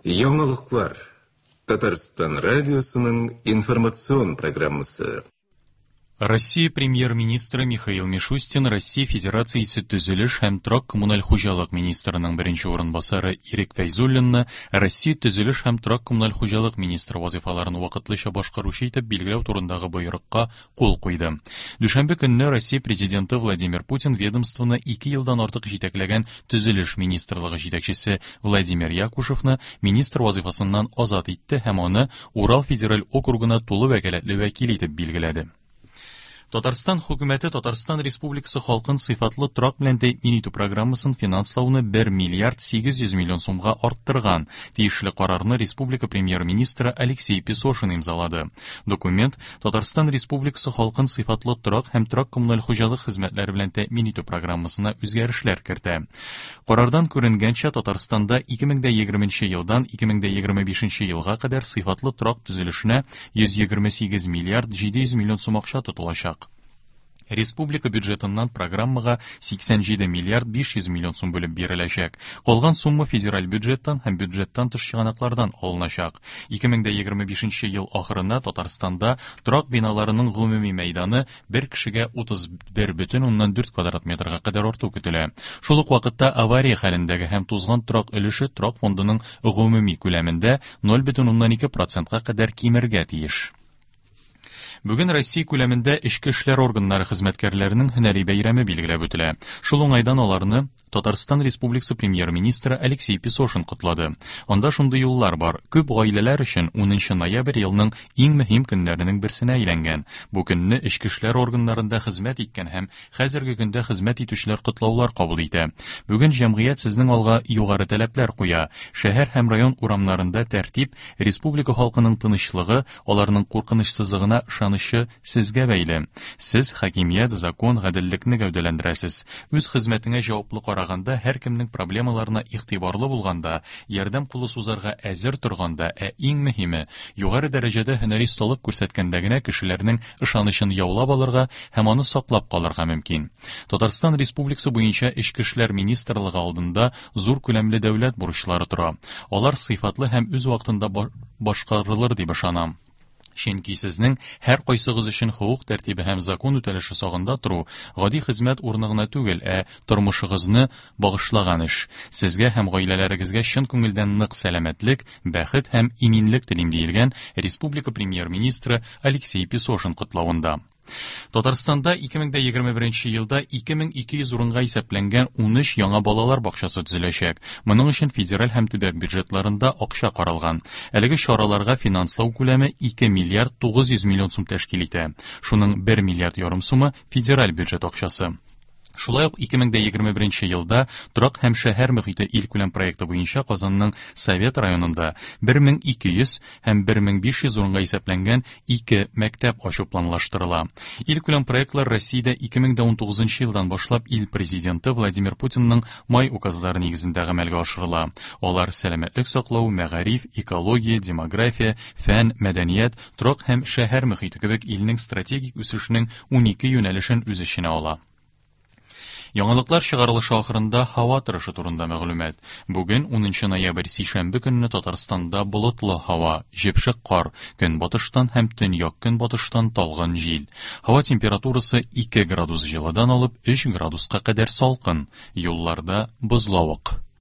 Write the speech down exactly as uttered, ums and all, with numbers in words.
Яңалыклар. Татарстан радиосының информацион программасы. Россия премьер-министры Михаил Мишустин Россия Федерациясе төзелеш һәм торак-коммуналь хуҗалык министрының беренче урынбасары Ирек Фәйзуллинны Россия төзелеш һәм торак-коммуналь хуҗалык министры вазифаларын вакытлыча башкаручы итеп билгеләү турындагы боерыкка кул куйды. Дүшәмбе көнне Россия президенты Владимир Путин ведомствоны ике елдан артык җитәкләгән төзелеш министрлыгы җитәкчесе Владимир Якушевны министр вазифасыннан азат итте һәм аны Урал федераль округына тулы вәкаләтле вәкил итеп билгеләде. Татарстан хөкүмәте Татарстан Республикасы халкын сыйфатлы торак белән тәэмин итү программасын финанслауны бер миллиард сигез йөз миллион сумга арттырган. Тиешле карарны республика премьер-министры Алексей Песошин имзалады. Документ Татарстан Республикасы халкын сыйфатлы торак һәм торак-коммуналь хуҗалык хезмәтләре белән тәэмин итү программасына үзгәрешләр кертә. Карардан күренгәнчә, Татарстанда ике мең дә егерменче елдан ике мең дә егерме бишенче елга кадәр сыйфатлы торак төзелешенә йөз егерме сигез миллиард җиде йөз миллион сум акча тотылачак. Республика бюджетыннан программага сиксән җиде миллиард биш йөз миллион сум бүлеп биреләчәк. Калган сумма федераль бюджеттан һәм бюджеттан тыш чыганаклардан алыначак. Ике мең дә егерме бишенче ел ахырына Татарстанда торак биналарының гомуми мәйданы бер кешегә утыз бер бөтен уннан дүрт квадрат метрга кадәр арту көтелә. Шул ук вакытта авария хәлендәге һәм тузган торак өлеше торак фондының гомуми күләмендә ноль бөтен уннан ике процентка кадәр кимергә тиеш. Бүген Россия күләмендә эчке эшләр органнары хезмәткәрләренең һөнәри бәйрәме билгеләп үтелә. Шул уңайдан аларны Татарстан Республикасы премьер-министры Алексей Песошин котлады. Анда шундый юллар бар. Күп гаиләләр өчен унынчы ноябрь елның иң мөһим көннәренең берсенә әйләнгән. Бу көнне эчке эшләр органнарында хезмәт иткән һәм хәзерге көндә хезмәт итүчеләр котлаулар кабул итә. Бүген җәмгыять сезнең алга югары таләпләр куя. Шәһәр һәм район урамнарында тәртип, республика халкының тынычлыгы, аларның куркынычсызлыгына ышанычы сезгә бәйле. Сез хакимият, закон, гаделлекне гәүдәләндерәсез. Үз хезмәтеңә җаваплы караганда, һәркемнең проблемаларына игътибарлы булганда, ярдәм кулы сузарга әзер торганда, ә иң мөһиме, югары дәрәҗәдә һөнәри осталык күрсәткәндә генә кешеләрнең ышанычын яулап алырга һәм аны саклап калырга мөмкин. Татарстан Республикасы буенча Эчке эшләр министрлыгы алдында зур күләмле дәүләт бурычлары тора. Алар сыйфатлы һәм үз вакытында башкарылыр дип ышанам. Чөнки сезнең һәр кайсыгыз өчен хокук тәртибе һәм закон үтәлеше сагында тору гади хезмәт урыны гына түгел, ә тормышыгызны багышлаган эш. Сезгә һәм гаиләләрегезгә чын күңелдән нык сәламәтлек, бәхет һәм иминлек телим, диелгән республика премьер-министры Алексей Песошин котлавында. Татарстанда ике мең дә егерме беренче елда ике мең ике йөз урынга исәпләнгән ун өч яңа балалар бакчасы төзеләчәк. Моның өчен федераль һәм төбәк бюджетларында акча каралган. Әлеге чараларга финанслау күләме ике миллиард тугыз йөз миллион сум тәшкил итә. Шуның бер миллиард ярым сумы федераль бюджет акчасы. Шулай ук ике мең дә егерме беренче елда торак һәм шәһәр мөхите илкүләм проекты буенча Казанның Совет районында бер мең ике йөз һәм бер мең биш йөз урынга исәпләнгән ике мәктәп ачу планлаштырыла. Илкүләм проектлар Россиядә ике мең дә унтугызынчы елдан башлап ил президенты Владимир Путинның май указлары нигезендә гамәлгә ашырыла. Алар сәламәтлек саклау, мәгариф, экология, демография, фән, мәдәният, торак һәм шәһәр мөхите кебек илнең стратегик үсешенең унике юнәлешен үз эченә ала. Яңалыклар чыгарылышы ахырында һава торышы турында мәгълүмат. Бүген унынчы ноябрь сишәмбе көнне Татарстанда болытлы һава, җепшек кар, көнбатыштан һәм төньяк көнбатыштан талгын җил. Һава температурасы ике градус җылыдан алып өч градуска кадәр салкын. Юлларда бозлавык.